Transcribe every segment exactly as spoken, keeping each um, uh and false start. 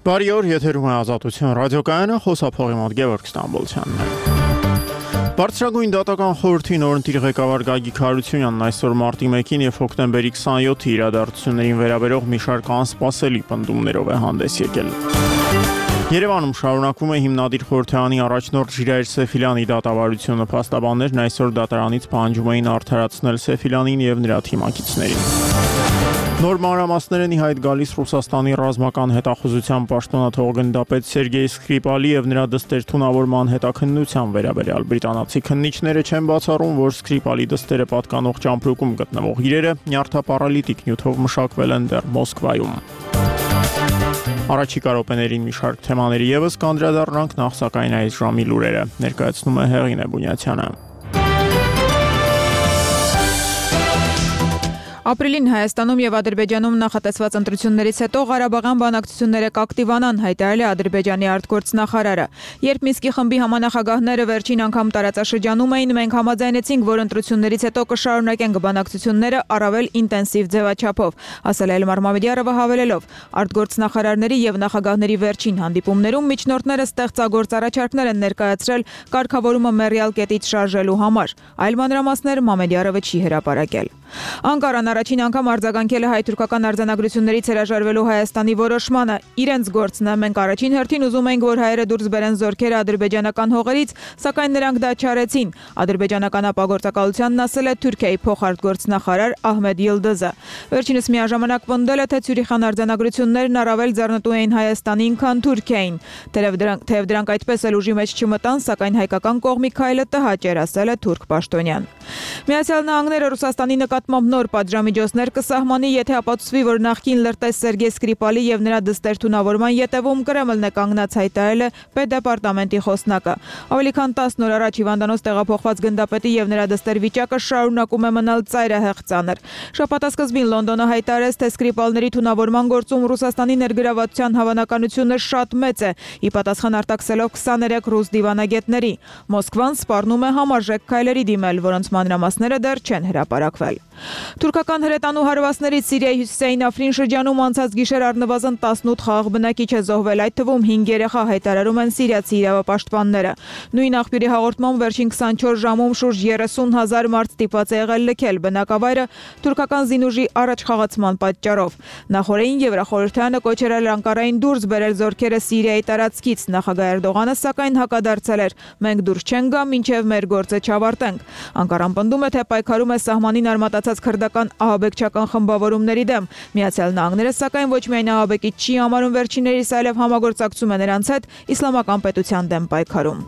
Բարի օր, եթերում է Ազատություն ռադիոկայանը, խոսափողի մոտ Գևորգ Ստամբոլցյանն է։ Բարձրագույն դատական խորհրդի նորընտիր ղեկավար Գագիկ Հարությունյանն այսօր մարտի մեկին եւ հոկտեմբերի քսաներկուի իրադարձություններին վերաբերող մի շարք անսպասելի պնդումներով է հանդես եկել։ Երևանում շարունակվում է հիմնադիր խորհրդարանի առաջնորդ Ժիրայր Սեֆիլյանի դատավարությունը, փաստաբաններն այսօր դատարանից պահանջում էին արդարացնել Սեֆիլյանին եւ նրա թիմակիցներին։ Նոր մանրամասներ են ի հայտ գալիս Ռուսաստանի ռազմական հետախուզության պաշտոնաթող գնդապետ Սերգեյ Սկրիպալի եւ նրա դստեր թունավորման հետաքննության վերաբերյալ։ Բրիտանացի քննիչները չեն բացառում, որ Սկրիպալի դստերը պատկանող ճամպրուկում գտնվող իրերը նյարդապարալիտիկ նյութով մշակվել են դեռ Մոսկվայում։ Առաջիկա րոպեներին մի շարք թեմաների եւս կանդրադառնանք, նախ սակայն այս ժամի լուրերը ներկայացնում է Հեղինե Բունյացյանը։ Ապրիլին Հայաստանում եւ Ադրբեջանում նախատեսված ընտրություններից հետո Ղարաբաղյան բանակցությունները կակտիվանան, հայտարարել է Ադրբեջանի արտգործնախարարը։ Երբ Մինսկի խմբի համանախագահները վերջին անգամ տարածաշրջանում էին, մենք համաձայնեցինք, որ ընտրություններից հետո կշարունակենք բանակցությունները առավել ինտենսիվ ձևաչափով, ասել է Էլմար Մամեդյարովը հավելելով. արտգործնախարարների եւ նախագահների վերջին հանդիպումներում միջնորդները ստեղծագործ առաջարկներ են ներկայացրել կարգավորումը մեռյալ կետից շարժելու համար։ Այլ մանրամասներ Մամեդյարովը չի հրապարակել։ Անկարան առաջին անգամ արձագանքել է հայ-թուրքական արձանագրություններից հրաժարվելու Հայաստանի որոշմանը։ Իրենց գործն է, մենք առաջին հերթին ուզում ենք, որ հայերը դուրս բերեն զորքերը ադրբեջանական հողերից, սակայն նրանք դա չարեցին։ Ադրբեջանական ապագործակալությանն ասել է Թուրքիայի փոխարտգործնախարար Ահմեդ Յիլդիզը։ Վերջինս միաժամանակ պնդել է, թե Ցյուրիխյան արձանագրություններն առավել ձեռնտու էին Հայաստանին, քան Թուրքիային։ Թեև դրանք, թեև դրանք այդպես էլ ուժի մեջ չմտան, սակայն հայկական կողմի քայլը տհաճ էր, ասել է թուրք պաշտոնյան։ Միացյալ Նահանգները Ռուսաստանի նկատմամբ նոր պատժամիջոցներ կսահմանի, եթե ապացուցվի, որ նախկին լրտես Սերգեյ Սկրիպալի եւ նրա դստեր թունավորման ետևում Կրեմլն է կանգնած, հայտարարել է Պետդեպարտամենտի խոսնակը։ Ավելի քան տասն օր առաջ հիվանդանոց տեղափոխված գնդապետի եւ նրա դստեր վիճակը շարունակում է մնալ ծայրահեղ ծանր։ Շաբաթասկզբին Լոնդոնը հայտարարեց, թե Սկրիպալների թունավորման գործում Ռուսաստանի ներգրավվածության հավանականությունը շատ մեծ է, ի պատասխան արտաքսելով քսաներեք ռուս դիվանագետների։ Մոսկվան սպառնում է համարժեք քայլերի դիմել, որոնց մանրամասները դեռ չեն հրապարակվել։ Թուրքական հրետանու հարվածներից Սիրիայի հյուսիսային Աֆրին շրջանում անցած գիշեր առնվազն տասնութ խաղաղ բնակիչ է զոհվել, այդ թվում հինգ երեխա, հայտարարում են սիրիացի իրավապաշտպանները։ Նույն աղբյուրի հաղորդմամբ վերջին քսանչորս ժամում շուրջ երեսուն հազար մարդ ստիպված է եղել լքել բնակավայրը թուրքական զինուժի առաջխաղացման պատճառով։ Նախորդին Եվրախորհրդարանը կոչել էր Անկարային դուրս բերել զորքերը Սիրիայի տարածքից։ Նախագահ Էրդողանը սակայն հակադարձել էր. մենք դուրս չենք գա, մինչև մեր գործը չավարտենք։ Անկարան պնդում է, թե պայքարում է սահմանին արմատացած քրդական ահաբեկչական խմբավորումների դեմ։ Միացյալ Նահանգները սակայն ոչ միայն ահաբեկիչ չի համարում վերջիններիս, այլև համագործակցում է նրանց հետ իսլամական պետության դեմ պայքարում։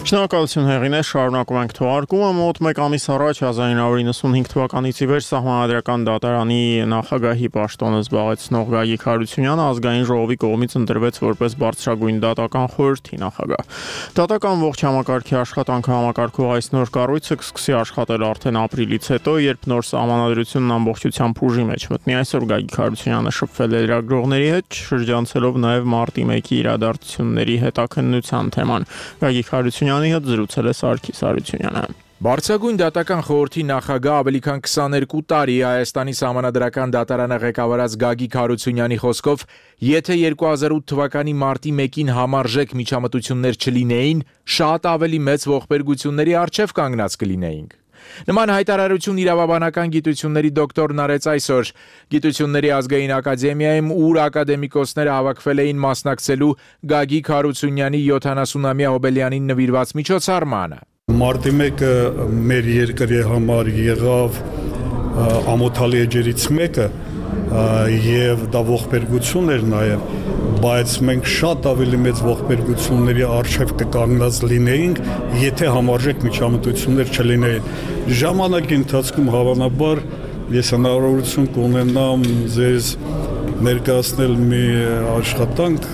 Շնորհակալություն Հեղինե, շարունակում ենք թողարկումը։ Մոտ մեկ ամիս առաջ հազար իննսուն հինգ թվականից ի վեր Սահմանադրական դատարանի նախագահի պաշտոնը զբաղեցնող Գագիկ Հարությունյանը ազգային ժողովի կողմից ընտրվեց որպես բարձրագույն դատական խորհրդի նախագահ։ Դատական ողջ համակարգի աշխատանքը համակարգող այս նոր կառույցը կսկսի աշխատել արդեն ապրիլից հետո, երբ նոր սահմանադրությունն ամբողջությամբ ուժի մեջ մտնի։ Այսօր Գագիկ Հարությունյանը շփվել է լրագրողների հետ, շրջանցելով նաև մարտի մեկի իրադարձությունների հետաքննության թեման։ Գագիկ Հարությունյանը հետ զրուցել է Սարգիս Հարությունյանը։ Բարձրագույն դատական խորհրդի նախագահ ավելի քան քսաներկու տարի Հայաստանի Սահմանադրական դատարանը ղեկավարած Գագիկ Հարությունյանի խոսքով, եթե երկու հազար ութ թվականի մարտի մեկին համարժեք միջամտություններ չլինեին, շատ ավելի մեծ ողբերգությունների առջև կանգնած կլինեինք։ Նման հայտարարություն իրավաբանական գիտությունների դոկտորն արեց այսօր Գիտությունների ազգային ակադեմիայում, ուր ակադեմիկոսները հավաքվել էին մասնակցելու Գագիկ Հարությունյանի յոթանասունամյա հոբելյանին նվիրված միջոցառմանը։ Մարտի մեկը մեր երկրի համար եղավ ամոթալի էջերից մեկը եւ դա ողբերգություն էր նաեւ, բայց մենք շատ ավելի մեծ ողբերգությունների առջև կկանգնած լինեինք, եթե համարժեք միջամտություններ չլինեին։ Ժամանակի ընթացքում հավանաբար ես հնարավորություն կունենամ ձեզ ներկայացնել մի աշխատանք,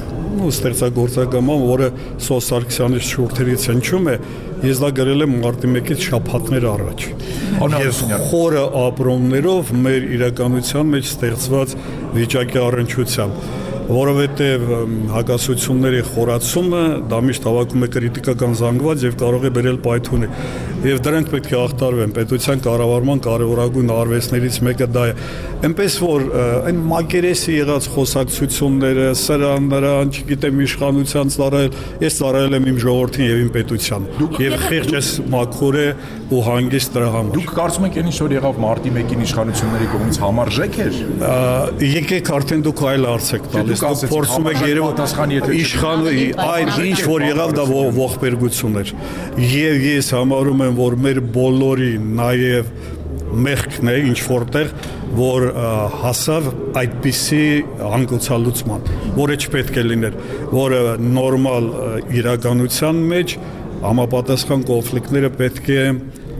ու ստեղծագործական, որը Սոս Սարգսյանի շուրթերից հնչում է, ես դա գրել եմ մարտի մեկից շաբաթներ առաջ։ Ես խորը ապրումներով մեր իրականության մեջ ստեղծված վիճակի առնչությամբ։ որովհետև հակասությունների խորացումը դա միշտ հավաքում է կրիտիկական զանգված եւ կարող է բերել պայթունի։ Եվ դրանք պետք է ախտարվեն։ Պետության կառավարման կարևորագույն արվեստներից մեկը դա է։ Այնպես որ այն մակերեսի եղած խոսակցությունները, սրան, նրան, չգիտեմ, իշխանության ծառայել, ես ծառայել եմ իմ ժողովրդին եւ իմ պետության։ Եվ խեղճ մաքուր է ու հանգիստ դրա համար։ Դուք կարծում եք, ինչ որ եղավ մարտի մեկին իշխանությունների կողմից համարժեք էր։ Եկեք արդեն դուք այլ հարց եք տալիս։ Դուք փորձում եք երևի իշխան այդ ինչ որ եղավ դա ողբերգություն էր։ Եվ ես համարում եմ, որ մեր բոլորի նաև մեղքն է ինչ որտեղ, որ հասավ այդպիսի հանգուցալուծման, որը չպետք է լիներ, որը նորմալ իրականության մեջ համապատասխան կոնֆլիկտները պետք է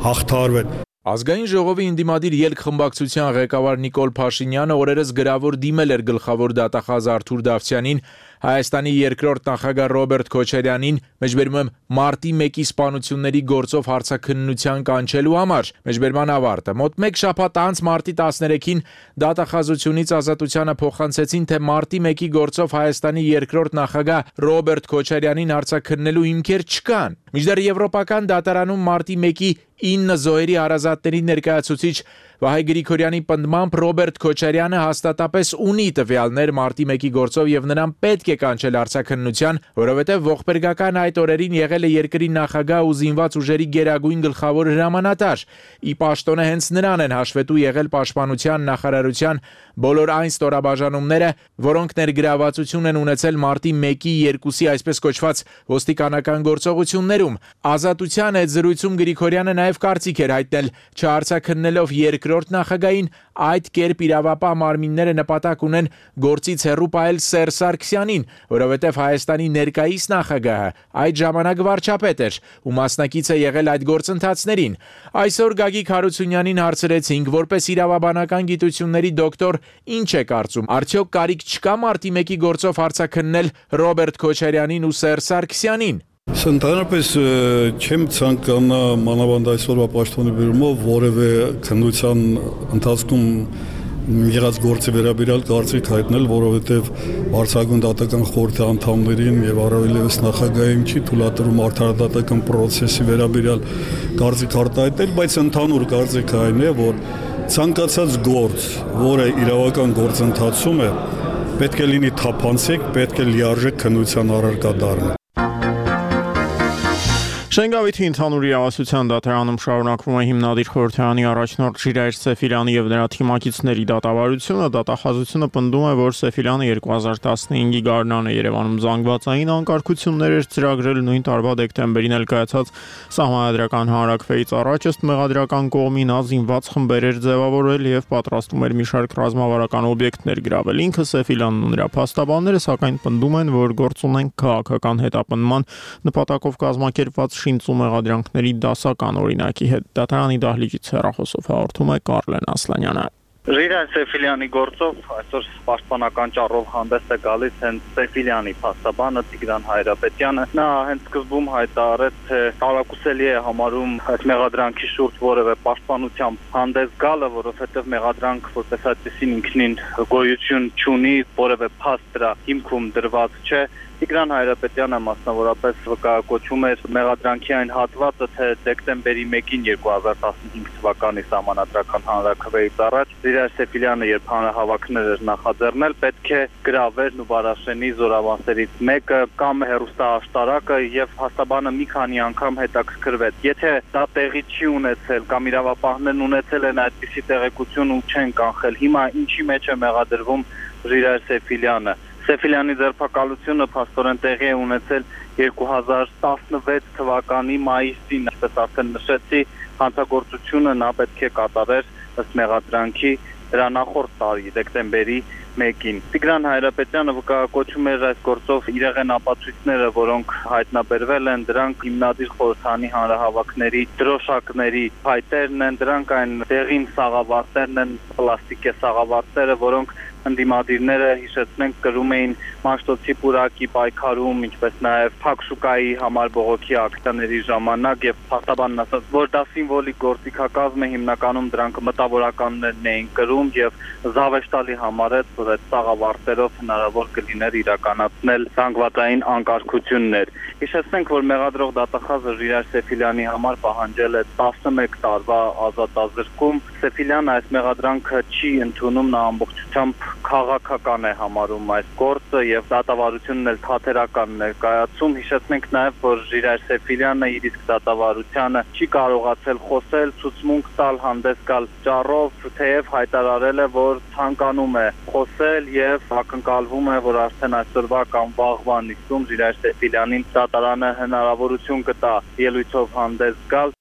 հաղթարվեն։ Ազգային ժողովի ընդդիմադիր ելք-խմբակցության ղեկավար Նիկոլ Փաշինյանը օրերս գրավոր դիմել էր գլխավոր դատախազ Արթուր Դավթյանին, Հայաստանի երկրորդ նախագահ Ռոբերտ Քոչարյանին, մեջբերում եմ մարտի մեկի սպանությունների գործով հարցաքննության կանչելու համար։ Մեջբերման ավարտը։ Մոտ մեկ շաբաթ անց մարտի տասներեքին դատախազությունից ազատությանը փոխանցեցին, թե մարտի մեկի գործով Հայաստանի երկրորդ նախագահ Ռոբերտ Քոչարյանին հարցաքննելու հիմքեր չկան։ Մինչդեռ Եվրոպական դատարանում մարտի մեկի ինը զոհերի հարազատների ներկայացուցիչ Վահե Գրիգորյանի պնդմամբ Ռոբերտ Քոչարյանը հաստատապես ունի տվյալներ մարտի մեկի գործով եւ նրան պետք է կանչել հարցաքննության, որովհետեւ ողբերգական այդ օրերին եղել է երկրի նախագահ ու զինված ուժերի գերագույն գլխավոր հրամանատար։ Ի պաշտոնը հենց նրան են հաշվետու եղել պաշտպանության նախարարության բոլոր այն ստորաբաժանումները, որոնք ներգրավվածություն են ունեցել մարտի մեկի երկուսի այսպես կոչված ոստիկանական գործողություններում։ Ազատության հետ զրույցում Գրիգորյանը նաև կարծիք էր հայտնել, չհարցաքննելով երկրորդ նախագահին, այդ կերպ իրավապահ մարմինները նպատակ ունեն գործից հեռու պահել Սերժ Սարգսյանին, որովհետև Հայաստանի ներկայիս նախագահը այդ ժամանակ վարչապետ էր ու մասնակից է եղել այդ գործընթացներին։ Այսօր Գագիկ Հարությունյանին հարցրեցինք, որպես իրավաբանական գիտությունների դոկտոր, ինչ է կարծում, արդյոք կարիք չկա մարտի մեկի գործով հարցաքննել Ռոբերտ Քոչարյանին ու Սերժ Սարգսյանին։ Ընդհանրապես չեմ ցանկանա մանավանդ այսօրվա պաշտոնի բերումով որևէ քննության ընթացքում եղած գործի վերաբերյալ կարծիք հայտնել, որովհետև Վարչագույն դատական խորհրդի անդամներին եւ առավելևս նախագահին չի թույլատրում արդարադատական process-ի վերաբերյալ կարծիք արտահայտել, բայց ընդհանուր կարծիքը այն է, որ ցանկացած գործ, որը իրավական գործընթացում է, պետք է լինի թափանցիկ, պետք է լիարժեք քննության առարկա դառնա։ Շենգավիթի ընդհանուր իրավասության դատարանում շարունակվում է հիմնադիր խորհրդարանի առաջնորդ Ժիրայր Սեֆիլյանի եւ նրա թիմակիցների դատավարությունը։ Դատախազությունը պնդում է, որ Սեֆիլյանը երկու հազար տասնհինգի գարնանը Երևանում զանգվածային անկարգություններ էր ծրագրել, նույն տարվա դեկտեմբերին էլ կայացած սահմանադրական հանրակրվեից առաջ ըստ մեղադրական կողմի նա զինված խմբեր էր ձևավորել եւ պատրաստում էր մի շարք ռազմավարական օբյեկտներ գրավել։ Ինքը Սեֆիլյանն ու նրա փաստաբանները սակայն պնդում են, որ գործ ունեն քաղաքական հետապնդման նպատակով կազմակերպված շինծու մեղադրանքների դասական օրինակի հետ։ Դատարանի դահլիճից հեռախոսով հաղորդում է Կարլեն Ասլանյանը։ Ժիրայր Սեֆիլյանի գործով այսօր պաշտպանական ճառով հանդես է գալիս հենց Սեֆիլյանի փաստաբանը Տիգրան Հայրապետյանը։ Նա հենց սկզբում հայտարարեց, թե տարակուսելի է համարում այդ մեղադրանքի շուրջ որևէ պաշտպանությամբ հանդես գալը, որովհետև մեղադրանք որպես այդպեսին ինքնին գոյություն չունի, որևէ փաստ դրա հիմքում դրված չէ։ Տիգրան Հայրապետյանը մասնավորապես վկայակոչում էր մեղադրանքի այն հատվածը, թե դեկտեմբերի մեկին երկու հազար տասնհինգ թվականի սահմանադրական հանրաքվեից առաջ Ժիրայր Սեֆիլյանը երբ հանրահավաքներ էր նախաձեռնել, պետք է գրավեր Նուբարաշենի զորավանսերից մեկը կամ հեռուստաաշտարակը եւ փաստաբանը մի քանի անգամ հետաքրքրվեց։ Եթե դա տեղի չի ունեցել կամ իրավապահներն ունեցել են այդպիսի տեղեկություն ու չեն կանխել, հիմա ինչի մեջ է մեղադրվում Ժիրայր Սեֆիլյանը։ Սեֆիլյանի ձերբակալությունը փաստորեն տեղի է ունեցել երկու հազար տասնվեց թվականի մայիսին, ինչպես արդեն նշեցի, հանցագործությունը նա պետք է կատարեր ըստ մեղադրանքի դրա նախորդ տարի դեկտեմբերի մեկին։ Տիգրան Հայրապետյանը վկայակոչում էր այս գործով իրեղեն ապացույցները, որոնք հայտնաբերվել են, դրանք հիմնադիր խորհրդարանի հանրահավաքների դրոշակների փայտերն են, դրանք այն դեղին սաղավարտերն են, պլաստիկե սաղավարտերը, որոնք ընդդիմադիրները հիշեցնենք կրում էին Մաշտոցի պուրակի պայքարում, ինչպես նաև Փակշուկայի համար բողոքի ակցիաների ժամանակ եւ փաստաբանն ասաց, որ դա սիմվոլիկ գործիքակազմ է, հիմնականում դրանք մտավորականներն էին կրում եւ զավեշտալի համարեց, որ այդ սաղավարտերով հնարավոր կլիներ իրականացնել զանգվածային անկարգություններ։ Հիշեցնենք, որ մեղադրող դատախազը Ժիրայր Սեֆիլյանի համար պահանջել է տասնմեկ տարվա ազատազրկում։ Սեֆիլյանը այս մեղադրանքը չի ընդունում, նա ամբողջությամբ քաղաքական է համարում այս գործը եւ դատավարությունն էլ թատերական ներկայացում։ Հիշեցնենք նաեւ, որ Ժիրայր Սեֆիլյանը իր իսկ դատավարությանը չի կարողացել խոսել, ցուցմունք տալ, հանդես գալ ճառով, թեև հայտարարել է, որ ցանկանում է խոսել եւ ակնկալվում է, որ արդեն այսօրվա կամ վաղվա նիստում Ժիրայր Սեֆիլյանին դատարանը հնարավորություն կտա ելույթով հանդես գալ։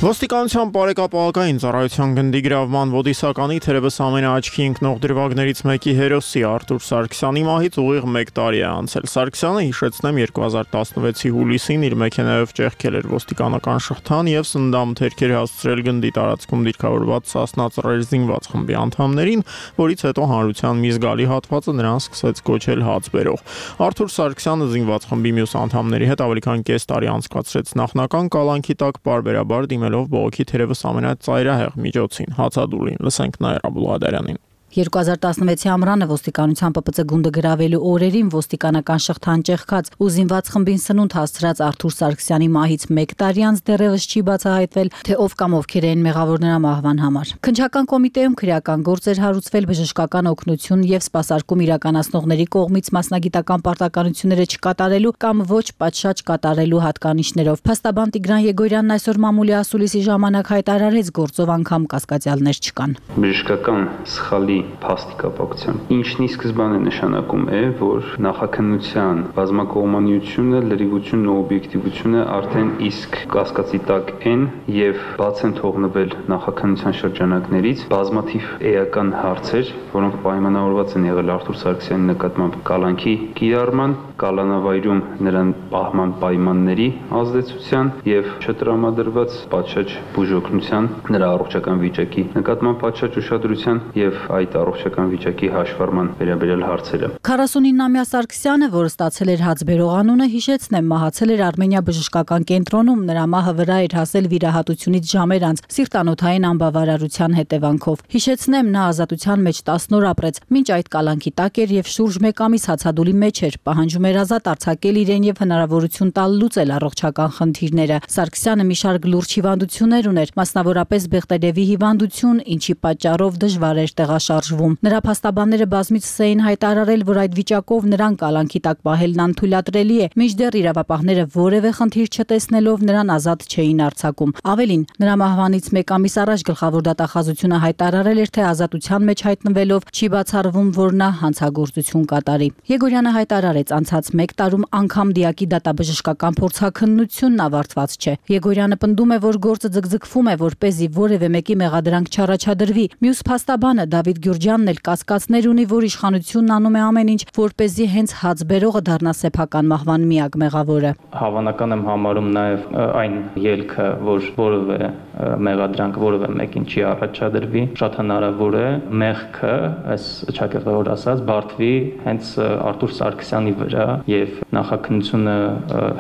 Ոստիկանության բարեկապահական ծառայության գնդի գրավման ոդիսականի թերևս ամենաաչքի ընկնող դրվագներից մեկի հերոսի Արթուր Սարգսյանի մահից ուղիղ մեկ տարի է անցել։ Սարգսյանը, հիշեցնեմ, երկու հազար տասնվեցի հուլիսին իր մեքենայով ճեղքել էր ոստիկանական շղթան եւ սննդամթերքեր հասցրել գնդի տարածքում դիրքավորված Սասնա ծռեր զինված խմբի անդամներին, որից հետո հանրության մի զգալի հատվածը նրան սկսեց կոչել հաց բերող։ Արթուր Սարգսյանը զինված խմբի մյուս անդամների հետ ավելի քան կես տարի անցկացրեց նախնական կալանքի տակ բարբերաբար դիմել բողոքի թերևս ամենածայրահեղ միջոցին հացադուլին։ Լսենք Նաիրա Բուլղադարյանին։ երկու հազար տասնվեցի ամռանը ոստիկանության Պ Պ Ց գունդը գրավելու օրերին ոստիկանական շղթան ճեղքած ու զինված խմբին սնունդ հասցրած Արթուր Սարգսյանի մահից մեկ տարի անց դեռևս չի բացահայտվել, թե ով կամ ովքեր էին մեղավոր նրա մահվան համար։ Քննչական կոմիտեում քրեական գործ էր հարուցվել բժշկական օգնություն եւ սպասարկում իրականացնողների կողմից մասնագիտական պարտականությունները չկատարելու կամ ոչ պատշաճ կատարելու հատկանիշներով։ Փաստաբան Տիգրան Եգորյանն այսօր մամուլի ասուլիսի ժամանակ հայտարարեց, գործով անգամ կասկածյալներ չկան։ Բժշկական սխալի փաստի կապակցությամբ ինչն ի սկզբանե նշանակում է, որ նախաքննության բազմակողմանիությունը, լրիվությունն ու օբյեկտիվությունը արդեն իսկ կասկածի տակ են եւ բաց են թողնվել նախաքննության շրջանակներից բազմաթիվ էական հարցեր, որոնք պայմանավորված են եղել Արթուր Սարգսյանի նկատմամբ կալանքի կիրառման, կալանավայրում նրան պահման պայմանների ազդեցության եւ չտրամադրված պատշաճ բուժօգնության, նրա առողջական վիճակի նկատմամբ պատշաճ ուշադրության եւ այդ առողջական վիճակի հաշվառման վերաբերյալ հարցերը։ քառասունինամյա Սարգսյանը, որը ստացել էր հաց բերող անունը, հիշեցնեմ, մահացել էր Արմենիա բժշկական կենտրոնում, նրա մահը վրա էր հասել վիրահատությունից ժամեր անց սիրտանոթային անբավարարության հետևանքով։ Հիշեցնեմ, նա ազատության մեջ տասն օր ապրեց, մինչ այդ կալանքի տակ էր եւ շուրջ մեկ ամիս հացադուլի մեջ էր, պահանջում էր ազատ արձակել իրեն եւ հնարավորություն տալ լուծել առողջական խնդիրները։ Սարգսյանը մի շարք լուրջ հիվանդություններ ուներ, մասնավորապես Բեղտերևի հիվանդություն, ինչի պատճառով դժվար էր տեղաշարժվում։ Նրա փաստաբանները բազմիցս էին հայտարարել, որ այդ վիճակով նրան կալանքի տակ պահելն անթույլատրելի է, մինչդեռ իրավապահները որևէ խնդիր չտեսնելով նրան ազատ չէին արձակում։ Ավելին, նրա մահվանից մեկ ամիս առաջ գլխավոր դատախազությունը հայտարարել էր, թե ազատության մեջ հայտնվելով չի բացառվում, որ նա հանցագործություն կատարի։ Եգորյանը հայտարարեց, անցած մեկ տարում անգամ դիակի դատաբժշկական փորձաքննությունն ավարտված չէ։ Եգորյանը պնդում է, որ գործը ձգձգվում է, որպեսզի որևէ մեկի մեղադրանք չառաջադրվի։ Մյուս փաստաբանը Դավիթ Գյուրջյանն էլ կասկածներ ունի, որ իշխանությունն անում է ամեն ինչ, որպեսզի հենց հաց բերողը դառնա սեփական մահվան միակ մեղավորը։ Հավանական եմ համարում նաև այն ելքը, որ որևէ մեղադրանք որևէ մեկին չի առաջադրվի, շատ հնարավոր է մեղքը, այս ճակերտավոր ասած, բարդվի հենց Արթուր Սարգսյանի վրա եւ նախաքննությունը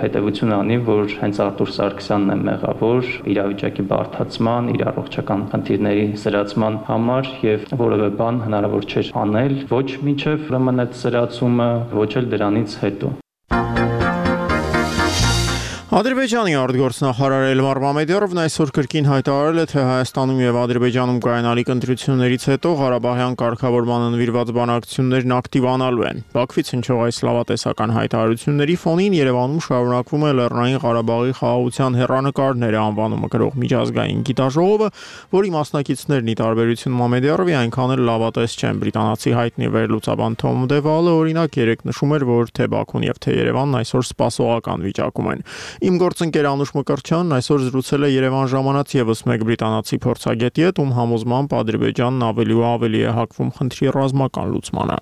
հետեւություն անի, որ հենց Արթուր Սարգսյանն է մեղավոր իրավիճակի բարդացման, իր առողջական խնդիրների սրացման համար եւ որևէ բան հնարավոր չէր անել ոչ մինչեւ ուրեմն այդ սրացումը, ոչ էլ դրանից հետո։ Ադրբեջանի արտգործնախարար Էլմար Մամեդյարովն այսօր կրկին հայտարարել է, թե Հայաստանում եւ Ադրբեջանում կայանալիք ընտրություններից հետո Ղարաբաղյան կարգավորմանը նվիրված բանակցություններն ակտիվանալու են։ Բաքվից հնչող այս լավատեսական հայտարարությունների ֆոնին Երևանում շարունակվում է Լեռնային Ղարաբաղի խաղաղության հեռանկարները անվանումը կրող միջազգային գիտաժողովը, որի մասնակիցներն ի տարբերություն Մամեդյարովի այնքան էլ լավատես չեն։ Բրիտանացի հայտնի վերլուծաբան Թոմ Դևալը օրինակ երեկ նշում էր, որ թե Բաքուն եւ թե Երևանն այսօր սպասողական վիճակում են։ Իմ գործընկեր Անուշ Մկրտչյանն այսօր զրուցել է Երևան ժամանած եւս մեկ բրիտանացի փորձագետի հետ, ում համոզմամբ Ադրբեջանն ավելի ու ավելի է հակվում խնդրի ռազմական լուծմանը։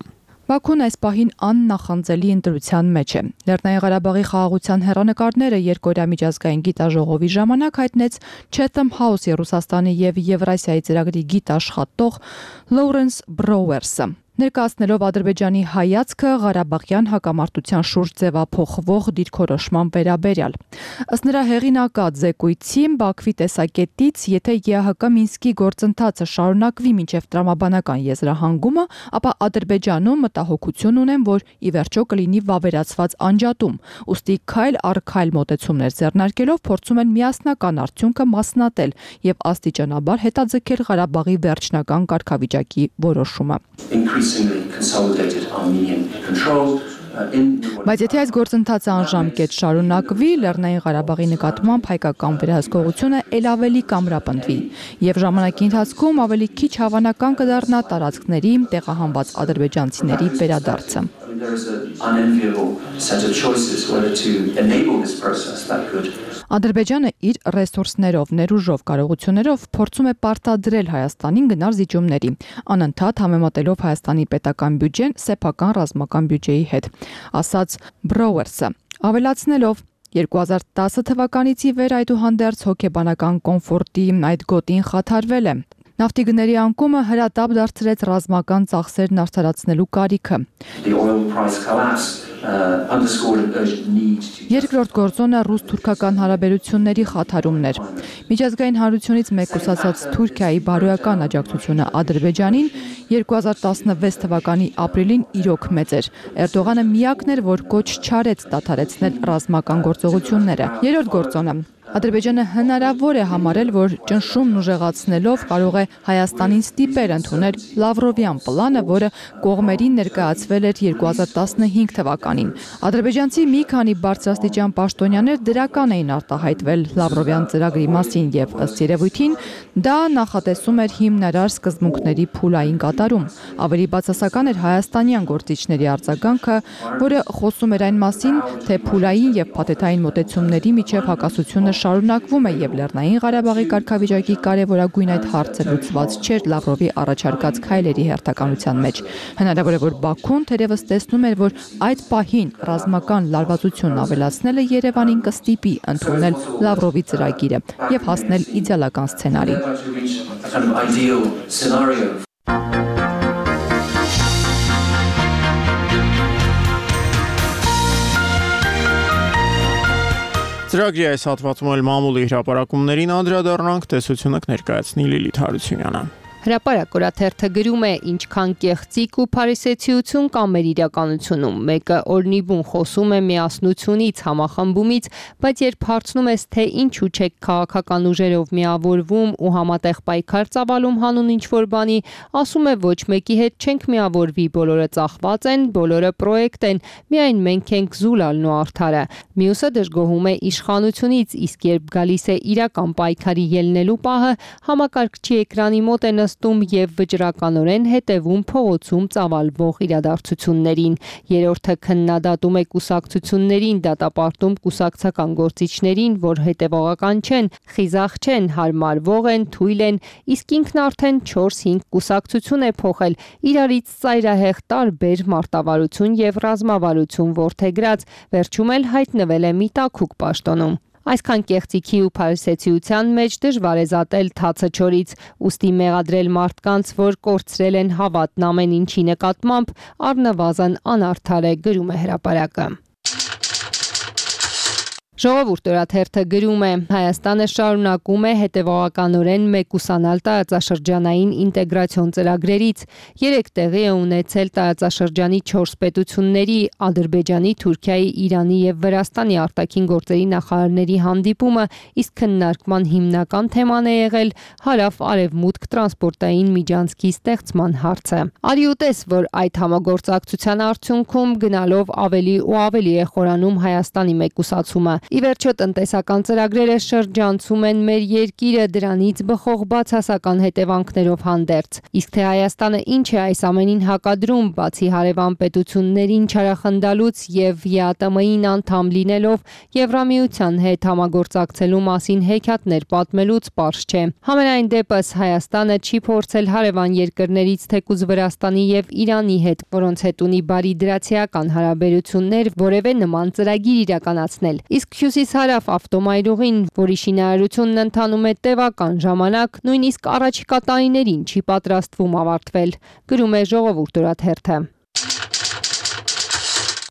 Բաքուն այս պահին աննախանձելի ընտրության մեջ է։ Լեռնային Ղարաբաղի խաղաղության հեռանկարները երկօրյա միջազգային գիտաժողովի ժամանակ հայտնեց Chatham House Ռուսաստանի եւ Եվրասիայի ծրագրի գիտաշխատող Լորենս Բրոուերսը։ Ներկայացնելով Ադրբեջանի հայացքը Ղարաբաղյան հակամարտության շուրջ ձևափոխվող դիրքորոշման վերաբերյալ։ Ըստ նրա հեղինակած զեկույցի Բաքվի տեսակետից, եթե ԵԱՀԿ Մինսկի գործընթացը շարունակվի մինչև տրամաբանական եզրահանգումը, ապա Ադրբեջանում մտահոգություն ունեն, որ ի վերջո կլինի վավերացված անջատում, ուստի քայլ առ քայլ մոտեցումներ ձեռնարկելով փորձում են միասնական արդյունքը մասնատել եւ աստիճանաբար հետաձգել Ղարաբաղի վերջնական կարգավիճակի որոշումը։ Consolidated Armenian control Բայց եթե այս գործընթացը անժամկետ շարունակվի, Լեռնային Ղարաբաղի նկատմամբ հայկական վերահսկողությունը ել ավելի կամրապնդվի եւ ժամանակի ընթացքում ավելի քիչ հավանական կդառնա տարածքների տեղահանված ադրբեջանցիների վերադարձը։ Ադրբեջանը իր ռեսուրսներով, ներուժով, կարողություններով փորձում է պարտադրել Հայաստանին գնալ զիջումների, անընդհատ համեմատելով Հայաստանի պետական բյուջեն սեփական ռազմական բյուջեի հետ, ասաց Բրոուերսը, ավելացնելով երկու հազար տասը թվականից ի վեր այդուհանդերձ հոգեբանական կոմֆորտի այդ գոտին խաթարվել է։ Նավթի գների անկումը հրատապ դարձրեց ռազմական ծախսերն արդարացնելու կարիքը։ Երկրորդ գործոնը ռուս-թուրքական հարաբերությունների խաթարումն էր։ Միջազգային հանրությունից մեկուսացած Թուրքիայի բարոյական աջակցությունը Ադրբեջանին երկու հազար տասնվեց թվականի ապրիլին իրոք մեծ էր։ Էրդողանը միակն էր, որ կոչ չարեց դադարեցնել ռազմական գործողությունները։ Երրորդ գործոնը Ադրբեջանը հնարավոր է համարել, որ ճնշումն ուժեղացնելով կարող է Հայաստանին ստիպել ընդունել Լավրովյան պլանը, որը կողմերին ներկայացվել էր երկու հազար տասնհինգ թվականին։ Ադրբեջանցի մի քանի բարձրաստիճան պաշտոնյաներ դրական էին արտահայտվել Լավրովյան ծրագրի մասին եւ ըստ երևույթին դա նախատեսում էր հիմնարար սկզբունքների փուլային կատարում։ Ավելի բացասական էր հայաստանյան գործիչների արձագանքը, որը խոսում էր այն մասին, թե փուլային եւ փաթեթային մոտեցումների միջև հակասությունը շարունակվում է եւ Լեռնային Ղարաբաղի կարգավիճակի կարևորագույն այդ հարցը լուծված չէր Լավրովի առաջարկած քայլերի հերթականության մեջ։ Հնարավոր է, որ Բաքուն թերևս տեսնում էր, որ այդ պահին ռազմական լարվածությունն ավելացնելը Երևանին կստիպի ընդունել Լավրովի ծրագիրը եւ հասնել իդեալական սցենարի։ Ծրագրի այս հատվածում էլ մամուլի հրապարակումներին անդրադառնանք, տեսությունը կներկայացնի Լիլիթ Հարությունյանը։ Հրապարակ օրաթերթը գրում է ինչքան կեղծիք ու փարիսեցիություն կա մեր իրականությունում։ Մեկը օրնիբուն խոսում է միասնությունից, համախմբումից, բայց երբ հարցնում ես, թե ինչու չեք քաղաքական ուժերով միավորվում ու համատեղ պայքար ծավալում հանուն ինչ-որ բանի, ասում է ոչ մեկի հետ չենք միավորվի, բոլորը ծախված են, բոլորը պրոյեկտ են, միայն մենք ենք զուլալն ու արդարը։ Մյուսը դժգոհում է իշխանությունից, իսկ երբ գալիս է իրական պայքարի ելնելու պահը, համակարգչի էկրանի մոտ է նստում եւ վճռականորեն հետևում փողոցում ծավալվող իրադարձություններին։ Երրորդը քննադատում է կուսակցություններին, դատապարտում կուսակցական գործիչներին, որ հետևողական չեն, խիզախ չեն, հարմարվող են, թույլ են, իսկ ինքն արդեն չորս-հինգ կուսակցություն է փոխել, իրարից ծայրահեղ տարբեր մարտավարություն եւ ռազմավարություն որդեգրած, վերջում էլ հայտնվել է մի տաքուկ պաշտոնում։ Այսքան կեղծիքի ու փարիսեցիության մեջ դժվար է զատել թացը չորից, ուստի մեղադրել մարդկանց, որ կորցրել են հավատն ամեն ինչի նկատմամբ, առնվազն անարդար է, գրում է հրապարակը։ Ժողովուրդ օրաթերթը գրում է. Հայաստանը շարունակում է հետևողականորեն մեկուսանալ տարածաշրջանային ինտեգրացիոն ծրագրերից։ Երեք տեղի է ունեցել տարածաշրջանի չորս պետությունների՝ Ադրբեջանի, Թուրքիայի, Իրանի եւ Վրաստանի արտաքին գործերի նախարարների հանդիպումը, իսկ քննարկման հիմնական թեման է եղել հարավ-արևմուտք տրանսպորտային միջանցքի ստեղծման հարցը։ Արի ուտես, որ այդ համագործակցության արդյունքում գնալով ավելի ու ավելի է խորանում Հայաստանի մեկուսացումը։ Ի վերջո տնտեսական ծրագրերը շրջանցում են մեր երկիրը դրանից բխող բացասական հետևանքներով հանդերձ։ Իսկ թե Հայաստանը ինչ է այս ամենին հակադրում, բացի հարևան պետություններին չարախնդալուց եւ ԵԱՏՄ-ին անդամ լինելով Եվրամիության հետ համագործակցելու մասին հեքիաթներ պատմելուց պարզ չէ։ Համենայն դեպս Հայաստանը չի փորձել հարևան երկրներից թեկուզ Վրաստանի եւ Իրանի հետ, որոնց հետ ունի բարի դրացիական հարաբերություններ, որևէ նման ծրագիր իրականացնել։ Իսկ հյուսիս-հարավ ավտոմայրուղին, որի շինարարությունն ընթանում է տևական ժամանակ, նույնիսկ առաջիկա տարիներին չի պատրաստվում ավարտվել, գրում է Ժողովուրդ օրաթերթը։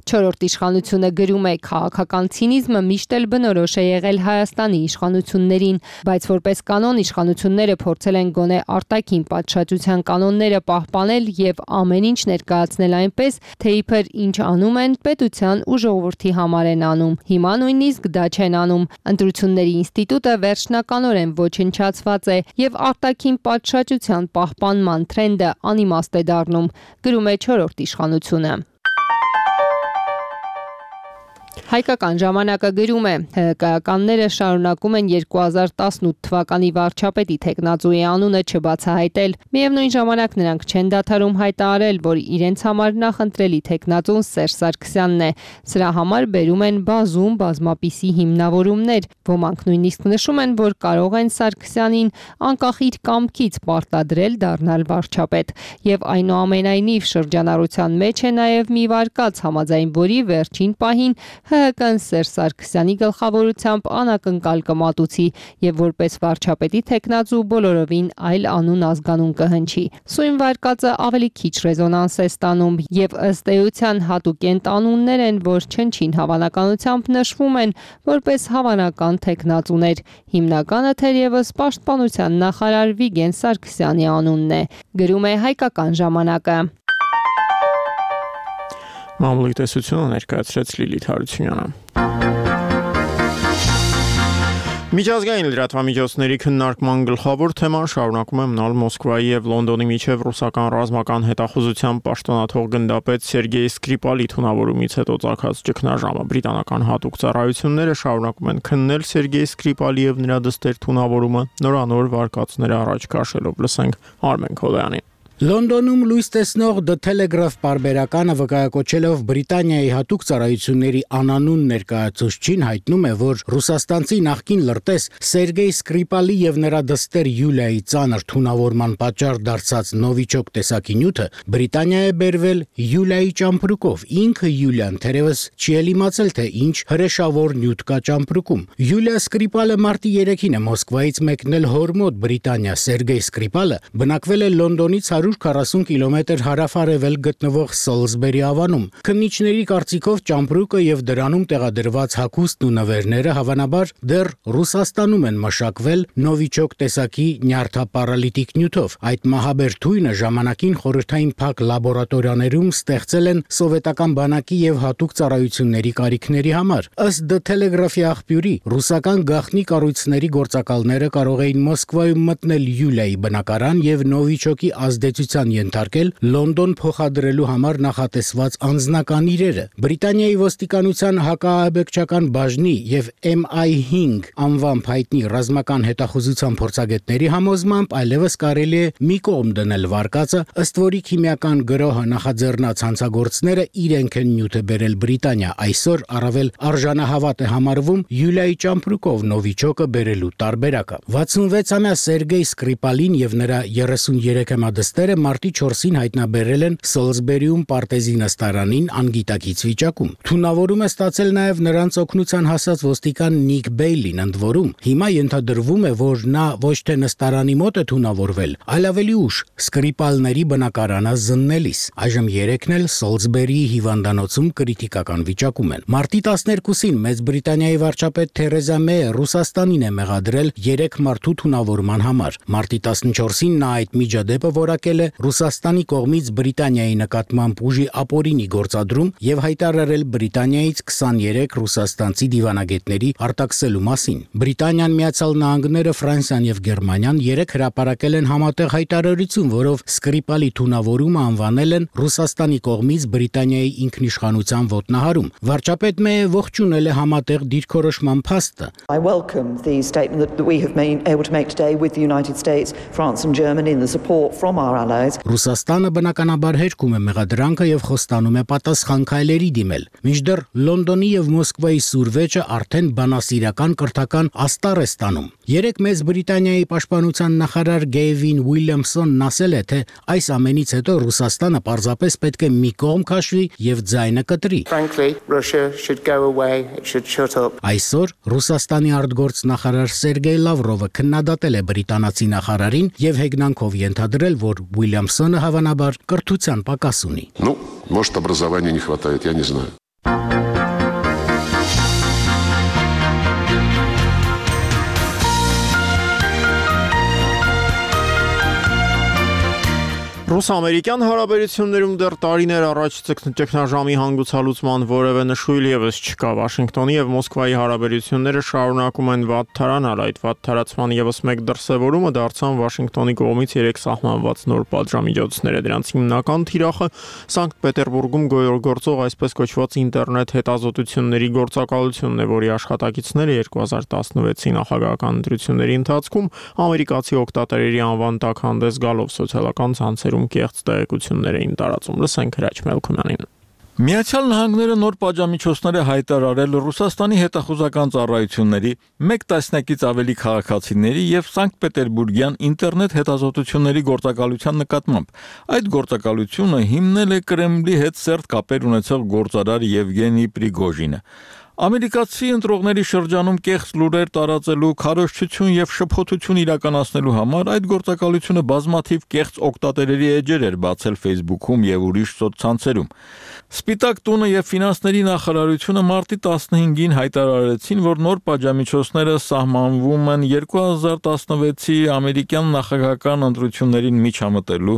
Չորրորդ իշխանությունը գրում է քաղաքական ցինիզմը միշտ էլ բնորոշ է եղել Հայաստանի իշխանություններին, բայց որպես կանոն իշխանությունները փորձել են գոնե արտաքին պատշաճության կանոնները պահպանել եւ ամեն ինչ ներկայացնել այնպես, թե իբր ինչ անում են, պետության ու ժողովրդի համար են անում։ Հիմա նույնիսկ դա չեն անում։ Ընտրությունների ինստիտուտը վերջնականորեն ոչնչացված է եւ արտաքին պատշաճության պահպանման թրենդը անիմաստ է դառնում, գրում է չորրորդ իշխանությունը։ Հայկական ժամանակը գրում է. ՀՀԿ-ականները շարունակում են երկու հազար տասնութ թվականի վարչապետի թեկնածուի անունը չբացահայտել։ Միևնույն ժամանակ նրանք չեն դադարում հայտարարել, որ իրենց համար նախընտրելի թեկնածուն Սերժ Սարգսյանն է։ Սրա համար բերում են բազում բազմապիսի հիմնավորումներ։ Ոմանք նույնիսկ նշում են, որ կարող են Սարգսյանին անկախ իր կամքից պարտադրել դառնալ վարչապետ։ Եվ այնուամենայնիվ շրջանառության մեջ է նաև մի վարկած, համաձայն որի վերջին պահին ՀՀԿ-ն Սերժ Սարգսյանի գլխավորությամբ անակնկալ կմատուցի եւ որպես վարչապետի թեկնածու բոլորովին այլ անուն ազգանուն կհնչի։ Սույն վարկածը ավելի քիչ ռեզոնանս է ստանում եւ ըստ էության հատուկենտ անուններ են, որ չնչին հավանականությամբ նշվում են որպես հավանական թեկնածուներ։ Հիմնականը թերևս պաշտպանության նախարար Վիգեն Սարգսյանի անունն է, գրում է Հայկական ժամանակը։ Մամուլի տեսությունը ներկայացրեց Լիլիթ Հարությունյանը։ Միջազգային լրատվամիջոցների քննարկման գլխավոր թեման շարունակում է մնալ Մոսկվայի եւ Լոնդոնի միջև ռուսական ռազմական հետախուզության պաշտոնաթող գնդապետ Սերգեյ Սկրիպալի թունավորումից հետո ծագած ճգնաժամը։ Բրիտանական հատուկ ծառայությունները շարունակում են քննել Սերգեյ Սկրիպալի եւ նրա դստեր թունավորումը, նորանոր վարկածները առաջ քաշելով։ Լսենք Արմեն Քոլյանին։ Լոնդոնում լույս տեսնող The Telegraph պարբերականը վկայակոչելով Բրիտանիայի հատուկ ծառայությունների անանուն ներկայացուցչին հայտնում է, որ ռուսաստանցի նախկին լրտես Սերգեյ Սկրիպալի եւ նրա դստեր Յուլիայի ծանր թունավորման պատճառ դարձած նովիչոկ տեսակի նյութը Բրիտանիա է բերվել Յուլիայի ճամպրուկով։ Ինքը Յուլիան թերևս չի էլ իմացել, թե ինչ հրեշավոր նյութ կա ճամպրուկում։ Յուլիա Սկրիպալը մարտի երեքին է Մոսկվայից մեկնել հոր մոտ Բրիտանիա։ Սերգեյ Սկրիպալը բնակվել է Լոնդոնից հարյուր քառասուն կիլոմետր հարավ-արևել գտնվող Սոլսբերի ավանում։ Քննիչների կարծիքով ճամպրուկը եւ դրանում տեղադրված հագուստն ու նվերները հավանաբար դեռ Ռուսաստանում են մշակվել նովիչոկ տեսակի նյարդապարալիտիկ նյութով։ Այդ մահաբեր թույնը ժամանակին խորհրդային փակ լաբորատորիաներում ստեղծել են սովետական բանակի եւ հատուկ ծառայությունների կարիքների համար։ Ըստ The Telegraph-ի աղբյուրի, ռուսական գաղտնի կառույցների գործակալները կարող էին Մոսկվայում մտնել Յուլիայի բնակարան եւ նովիչոկի ազդեցության ենթարկել Լոնդոն փոխադրելու համար նախատեսված անձնական իրերը։ Բրիտանիայի ոստիկանության հակաահաբեկչական բաժնի եւ M I հինգ անվամբ հայտնի ռազմական հետախուզության փորձագետների համոզմամբ այլևս կարելի է մի կողմ դնել վարկածը, ըստ որի քիմիական գրոհը նախաձեռնած հանցագործները իրենք են նյութը բերել Բրիտանիա։ Այսօր առավել արժանահավատ է համարվում Յուլիայի ճամպրուկով նովիչոկը բերելու տարբերակը։ վաթսունվեցամյա Սերգեյ Սկրիպալին եւ նրա երեսուներեքամյա դստերը մարտի չորսին հայտնաբերել են Սոլսբերիում պարտեզի նստարանին անգիտակից վիճակում։ Թունավորում է ստացել նաև նրանց օգնության հասած ոստիկան Նիկ Բեյլին, ընդ որում հիմա ենթադրվում է, որ նա ոչ թե նստարանի մոտ է թունավորվել, այլ ավելի ուշ Սկրիպալների բնակարանը զննելիս։ Այժմ երեքն էլ Սոլսբերիի հիվանդանոցում կրիտիկական վիճակում են։ Մարտի տասներկուսին Մեծ Բրիտանիայի վարչապետ Թերեզա Մեյը Ռուսաստանին է մեղադրել երեք մարդու թունավորման համար։ Մարտի տասնչորսին նա այդ միջադեպը որակել արձանագրել է Ռուսաստանի կողմից Բրիտանիայի նկատմամբ ուժի ապօրինի գործադրում եւ հայտարարել Բրիտանիայից քսաներեք ռուսաստանցի դիվանագետների արտաքսելու մասին։ Բրիտանիան, Միացյալ Նահանգները, Ֆրանսիան եւ Գերմանիան երեք հրապարակել են համատեղ հայտարարություն, որով Սկրիպալի թունավորումը անվանել են Ռուսաստանի կողմից Բրիտանիայի ինքնիշխանության ոտնահարում։ Վարչապետ Մեյը ողջունել է համատեղ դիրքորոշման փաստը։ I welcome the statement that we have been able to make today with the United States, France and Germany and the support from our allies. Ռուսաստանը բնականաբար հերքում է մեղադրանքը եւ խոստանում է պատասխան քայլերի դիմել։ Մինչդեռ Լոնդոնի եւ Մոսկվայի սուրվեճը արդեն բանասիրական կրթական աստառ է ստանում։ Երեք մեծ Բրիտանիայի պաշտպանության նախարար Գեյվին Ուիլյամսոնն ասել է, թե այս ամենից հետո Ռուսաստանը պարզապես պետք է մի կողմ քաշվի եւ ձայնը կտրի։ Frankly, Russia should go away, it should shut up. Այսօր Ռուսաստանի արտգործնախարար Սերգեյ Լավրովը քննադատել է բրիտանացի նախարարին եւ հեգնանքով ենթադրել, որ Ուիլյամսոնը հավանաբար կրթության պակաս ունի։ Ну, может, образования не хватает, я не знаю. Ռուս-ամերիկյան հարաբերություններում դեռ տարիներ առաջ ճգնաժամի հանգուցալուծման որևէ նշույլ եւս չկա։ Վաշինգտոնի եւ Մոսկվայի հարաբերությունները շարունակում են վատթարանալ։ Այդ վատթարացման եւս մեկ դրսեւորումը դարձան Վաշինգտոնի կողմից երեք սահմանված նոր պատժամիջոցները։ Դրանց հիմնական թիրախը Սանկտ Պետերբուրգում գոյորգործող այսպես կոչված ինտերնետ հետազոտությունների գործակալությունն է, որի աշխատակիցները երկու հազար տասնվեցի նախագահական ընտրությունների ընթացքում ամերիկացի օգտատերերի անվան տակ հանդես գալով սոցիալական ցանցերում կեղծ տեղեկություններ էին տարածում։ Լսենք Հրաչ Մելքոյանին։ Միացյալ Նահանգները նոր պատժամիջոցներ է հայտարարել Ռուսաստանի հետախուզական ծառայությունների, մեկ տասնյակից ավելի քաղաքացիների եւ Սանկտ Պետերբուրգյան ինտերնետ հետազոտությունների գործակալության նկատմամբ։ Այդ գործակալությունը հիմնել է Կրեմլի հետ սերտ կապեր ունեցող գործարար Եվգենի Պրիգոժինը։ Ամերիկացի ընտրողների շրջանում կեղծ լուրեր տարածելու, քարոզչություն եւ շփոթություն իրականացնելու համար այդ գործակալությունը բազմաթիվ կեղծ օգտատերերի էջեր էր բացել Facebook-ում եւ ուրիշ սոցցանցերում։ Սպիտակ տունը եւ ֆինանսների նախարարությունը մարտի տասնհինգին հայտարարեցին, որ նոր պատժամիջոցները սահմանվում են երկու հազար տասնվեցի ամերիկյան նախագահական ընտրություններին միջամտելու,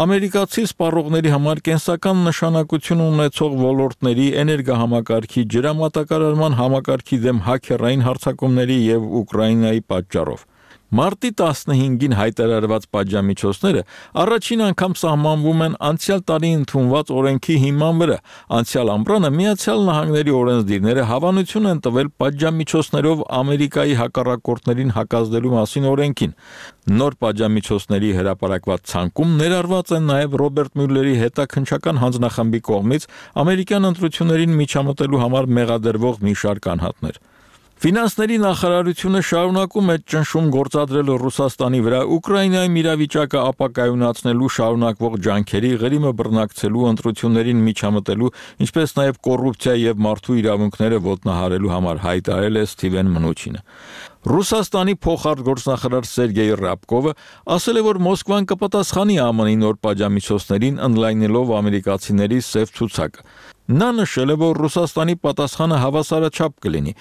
ամերիկացի սպառողների համար կենսական նշանակություն ունեցող ոլորտների, էներգահամակարգի, ջրամատակարարման համակարգի դեմ հաքերային հարձակումների եւ Ուկրաինայի պատճառով։ Մարտի տասնհինգին հայտարարված պատժամիջոցները առաջին անգամ սահմանվում են անցյալ տարի ընդունված օրենքի հիման վրա։ Անցյալ ամռանը Միացյալ Նահանգների օրենսդիրները հավանություն են տվել պատժամիջոցներով Ամերիկայի հակառակորդներին հակազդելու մասին օրենքին։ Նոր պատժամիջոցների հրապարակված ցանկում ներառված են նաև Ռոբերտ Մյուլլերի հետաքննչական հանձնախմբի կողմից ամերիկյան ընտրություններին միջամտելու համար մեղադրվող մի շարք անհատներ։ Ֆինանսների նախարարությունը շարունակում է ճնշում գործադրել Ռուսաստանի վրա Ուկրաինայում իրավիճակը ապակայունացնելու շարունակվող ջանքերի ղրիմը բռնակցելու ընտրություններին միջամտելու, ինչպես նաև կոռուպցիա եւ մարդու իրավունքները ոտնահարելու համար հայտարարել է Սթիվեն Մնուչինը։ Ռուսաստանի փոխարտգործնախարար Սերգեյ Ռաբկովը ասել է, որ Մոսկվան կպատասխանի ԱՄՆ-ի նոր պատժամիջոցներին ընդլայնելով ամերիկացիների սև ցուցակը։ Նա նշել է, որ Ռուսաստանի պատասխանը հավասարաչափ կլինի։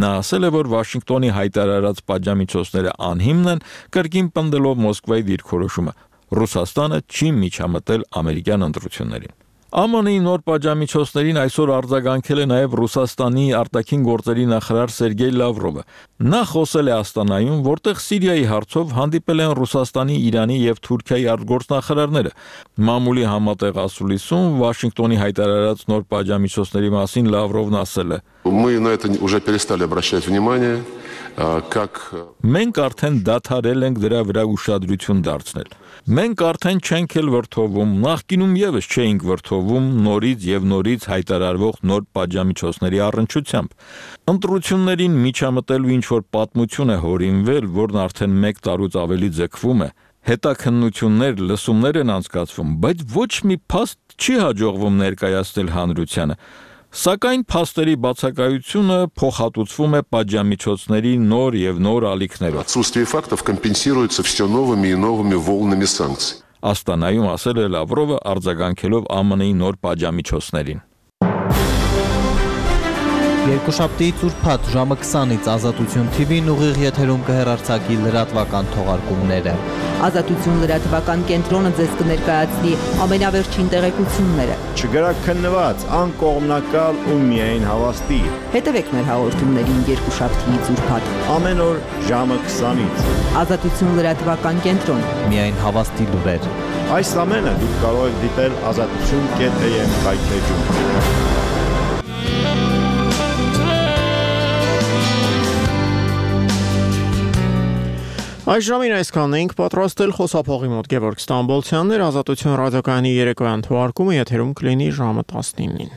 Նա ասել է, որ Վաշինգտոնի հայտարարած պատժամիջոցները անհիմն են, կրկին պնդելով Մոսկվայի դիրքորոշումը։ Ռուսաստանը չի միջամտել ամերիկյան ընտրություններին։ ԱՄՆ-ի նոր պատժամիջոցներին այսօր արձագանքել է նաև Ռուսաստանի արտաքին գործերի նախարար Սերգեյ Լավրովը։ Նա խոսել է Աստանայում, որտեղ Սիրիայի հարցով հանդիպել են Ռուսաստանի, Իրանի եւ Թուրքիայի արտգործնախարարները։ Մամուլի համատեղ ասուլիսում Վաշինգտոնի հայտարարած նոր պատժամիջոցների մասին Լավրովն ասել է. Мы на это уже перестали обращать внимание, как Մենք արդեն դադարել ենք դրա վրա ուշադրություն դարձնել։ Մենք արդեն չենք էլ վրթովում, նախկինում եւս չէինք վրթովում նորից եւ նորից հայտարարվող նոր պատժամիջոցների առնչությամբ։ Ընտրություններին միջամտելու ինչ որ պատմություն է հորինվել, որն արդեն մեկ տարուց ավելի ձգվում է։ Հետաքննություններ, լսումներ են անցկացվում, բայց ոչ մի փաստ չի հաջողվում ներկայացնել հանրությանը։ Սակայն փաստերի բացակայությունը փոխհատուցվում է պատժամիջոցների նոր եւ նոր ալիքներով։ Отсутствие фактов компенсируется все новыми и новыми волнами санкций. Աստանայում ասել է Լավրովը արձագանքելով ԱՄՆ-ի նոր պատժամիջոցներին։ Երկուշաբթի ծուրփաթ ժամը քսանից Ազատություն Թի Վին ուղիղ եթերում կհեռարձակի լրատվական թողարկումները։ Ազատություն լրատվական կենտրոնը ձեզ կներկայացնի ամենավերջին տեղեկությունները։ Չգրաքննված, անկողմնակալ ու միայն հավաստի։ Հետևեք մեր հաղորդումներին երկուշաբթի ծուրփաթ ամեն օր ժամը քսանից։ Ազատություն լրատվական կենտրոն։ Միայն հավաստի լուրեր։ Այս ամենը դուք կարող եք դիտել ազատություն կետ էյ էմ կայքեջում։ Այս ժամին այսքանն էինք պատրաստել խոսափողի մոտ Գևորգ Ստամբոլցյանն էր, Ազատություն ռադիոկայանի երեկոյան թողարկումը եթերում կլինի ժամը տասնինին։